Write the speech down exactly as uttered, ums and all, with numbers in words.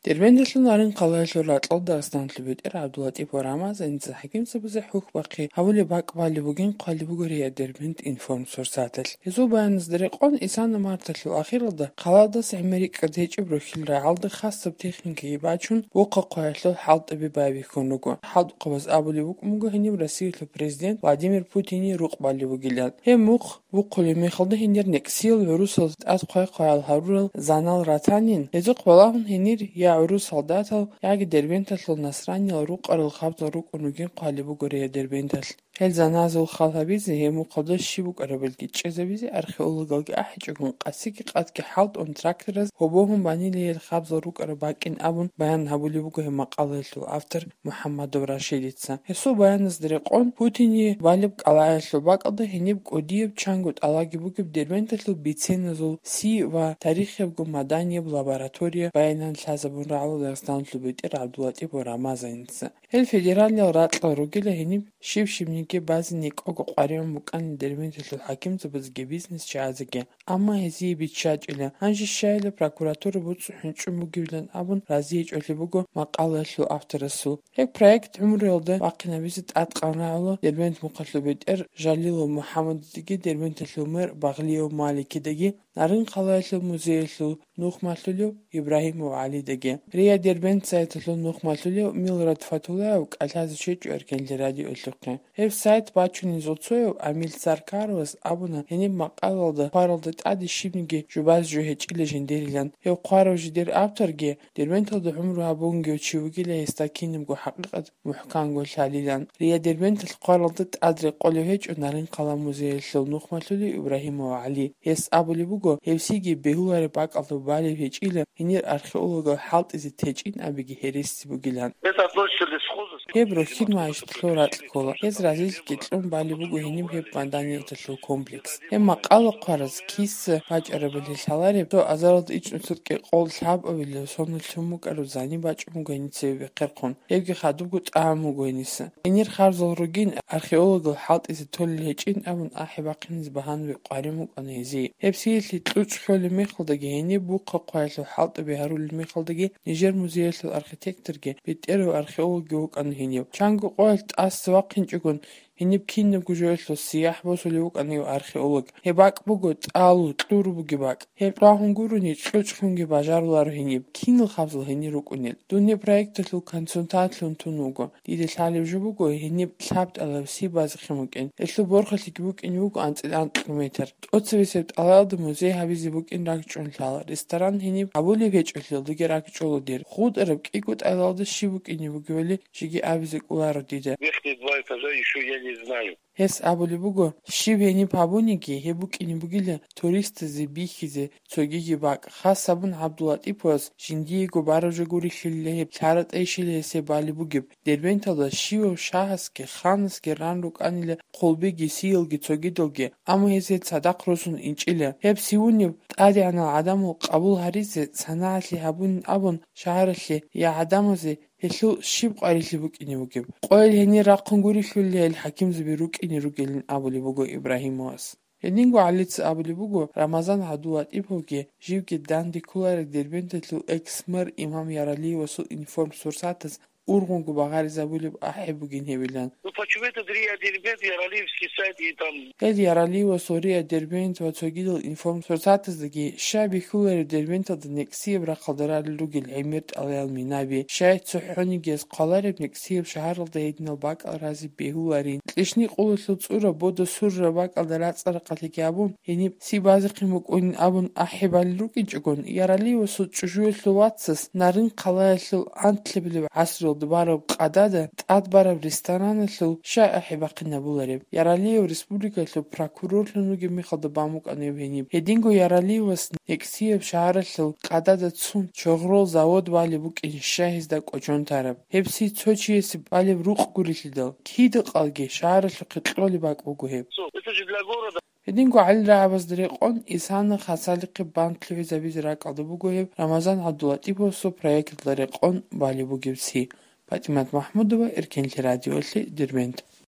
Дербенталъул Нарын хъалаялъул ракьалда Дагъистаналъул бетӀер ГӀабдуллатӀипов Рамазаница хӀакимзабазе хӀухь бахъи гьабулеб бакӀ балеб бугин хъвалеб буго РИА Дербент информсурсаталъ. Гьезул баяназда рекъон, исана марталъул ахиралда хъалаялдаса гӀемерикӀкӀад гьечӀеб рохьил рагӀалда хасаб техникаги бачун, вухъа хъваялъул хӀалтӀаби байбихьун руго. ХӀалтӀухъабаз абулеб букӀун буго гьениб Россиялъул президент Владимир Путине рукъ балеб бугилан. Гьеб мухъ бухъулеб мехалда гьенир некӀсиял гӀурусал тӀад хъвай-хъваял гьарурал занал ратанин, гьезухъ балагьун гьенир я гӀурус солдатал, яги Дербенталъул насраниял рукъарал хабзал рукӀун ругин хъвалеб буго РИА Дербенталъ. Гьел заназул хал гьабизе, гьеб мухъалда щиб букӀарабилги чӀезабизе археологалги ахӀичӀогун, къасиги къадги хӀалтӀун трактораз гьобогьун банила гьел хабзал рукӀараб бакӀин абун баян гьабулеб буго гьеб макъалаялъул автор МухӀаммадов Рашидица. Гьесул баяназда рекъон, Путине балеб кӀалаялъул бакӀалда гьениб кӀудияб чанго тӀалаги бугеб Дербенталъул биценазул си ва тарихиябго маданияб лаборатория баянан лъазабун рагӀула Дагъистаналъул бетӀер ГӀабдуллатӀипов Рамазаница. Гьел федералиял ракьал ругила гьениб щиб-щибниги базе некӀого къваригӀун букӀанин Дербенталъул хӀакимзабазеги бизнесчагӀазеги. Амма гьезие биччачӀила, гьанже щайила прокуратура буцӀцӀу хӀинчӀун бугевилан абун разиячӀулеб буго макъалаялъул авторасул. Гьеб проект гӀумруялда вахъинабизе тӀадкъан рагӀула Дербент мухъалъул бетӀер Жалилов МухӀаммадидаги Дербенталъул мэр Багълиев Маликидаги, Нарын хъалаялъул музеялъул нухмалъулев Ибрагьимов ГӀалидаги. РИА Дербент сайталъул нухмалъулев Милрат Фатулаев кӀалъазе щвечӀо Эркенлъи радиолъухъе. Гьеб сайт бачунезул цояв Амил Саркаровас абуна, гьениб макъалалда хъваралда тӀаде щибниги жубаз жо гьечӀила жиндирилан. Гьев хъварав жидер авторги, Дербенталда гӀумру гьабунгев чи вугила гьесда кинабго хӀакъикъат мухӀканго лъалилан. РИА Дербенталъ хъваралда тӀад рекъолев гьечӀо Нарын хъала музеялъул нухмалъулев Ибрагьимов ГӀали. Гьес абулеб буго, гьевсиги бегьулареб бакӀалда балеб гьечӀила гьенир археологал хӀалтӀизе течӀин абиги гьереси бугилан. Это относится к лесхозу. Гьеб рохьил магьишлъулъул ракь ккола. Гьез разилъги кьун балеб буго гьениб гьеб маданияталъул комплекс. Гьеб макъала хъвараз киса бачӀарабали лъалареб, цо азаралда ичӀнусуркьи къол лъабабилев соналъ лъун букӀараб зани бачӀун буго гьениса бехъерхъун. Гьебги хадубго тӀагӀун буго гьениса. Гьенир харзал ругин, археологал хӀалтӀизе толел гьечӀин абун ахӀи бахъинизе багьанаби къварин букӀана гьезие. Гьеб сиялъе кьучӀ хьолеб мехалдаги, гьениб бухъа хъваялъул хӀалтӀаби гьарулел мехалдаги, нижер музеялъул архитекторги, бетӀерав археологги вукӀана гьенив. Чанго къоялъ тӀаса вахъинчӀогон, гьениб кинабго жоялъул сияхӀ босулев вукӀана гьев археолог. Гьеб бакӀ буго тӀалу, кьуру бугеб бакӀ. Гьеб рагьун гурони, кьучӀ хунги бажаруларо гьениб, кинал хабзал гьенир рукӀунел. Дун гьеб проекталъул консультантлъун тун вуго. Дида лъалеб жо буго, гьениб лъаб тӀалаб си базехъин букӀин. Гьелъул борхалъиги букӀин буго анцӀила анкьго метр. ТӀоцебесеб тӀалаялда музей гьабизе букӀин ракӀчӀун лъала. Ресторан гьениб гьабулеб гьечӀолъиялдаги ракӀчӀола дир. ХутӀараб кӀиго тӀалаялда щиб букӀине бугевали жеги абизе кӀоларо дида. Верхние два этажа ещё я не знаю. Гьес абулеб буго, щиб гьениб гьабуниги, гьеб букӀине бугила туристазе бихьизе цогиги бакӀ. Хас абун ГӀабдуллатӀиповас жиндиего бараб жо гурелъулила гьеб, лъара-тӀайищила гьесие балеб бугеб. Дербенталда щивав шагьасги ханасги ран рукӀанила хъулбиги сиялги цогидалги, амма гьезие цадахъ росун инчӀила. Гьеб сивунеб тӀадегӀанал гӀадамал къабул гьаризе санагӀалъи гьабунин абун шагьаралъе я гӀадамазе гьелъул щиб къварилъи букӀине бугеб? Къойил гьенир рахъун гурелъулила гьел хӀакимзаби рукӀине ругелин абулеб буго Ибрагьимовас. Гьединго ГӀалица абулеб буго, Рамазан ГӀабдуллатӀиповги живги данде кколареб Дербенталъул экс-мэр Имам Яралиевасул информсурсатаз ургъунго багъаризабулеб ахӀи бугин гьебилан. Ну, почему этот РИА Дербент, Яралиевский сайт и там? Гьел Яралиевасул РИА Дербент ва цогидал информсурсатаздаги щай бихьулареб Дербенталда некӀсияб рахъалда ралел ругел гӀемер тӀалаял минаби, щай цохӀонигияз хъвалареб некӀсияб шагьаралда гьединал бакӀал разе бегьуларин. Кьищникъулалъул цӀура бода сурраб бакӀалда рацӀцӀа-рахъалъиги абун, гьениб си базехъин букӀунин абун ахӀи балел рукӀинчӀогон, Яралиевасул чӀужуялъул вацас Нарын хъалаялъул анлъабилеб гӀасруялда бараб къадада тӀад бараб рестораналъул щай ахӀи бахъинабулареб? Яралиев республикалъул прокурорлъун вугеб мехалда бан букӀана гьеб гьениб. Гьединго Яралиевас некӀсияб шагьаралъул къадада цун чогърол завод балеб букӀин щай гьезда кӀочон тараб? Гьеб си цо чиясе балеб рукъ гурелъидал, кида-къалги шагьаралъухъе кьолеб бакӀ буго гьеб. Всё, это же для города. Гьединго гӀалил рагӀабазда рекъон, исана хасалихъе бан лъугӀизабизе ракӀалда буго гьеб Рамазан ГӀабдуллатӀиповасул проекталда рекъон балеб бугеб си. ПатӀимат МахӀмудова, Эркенлъи радиолъи, Дербент.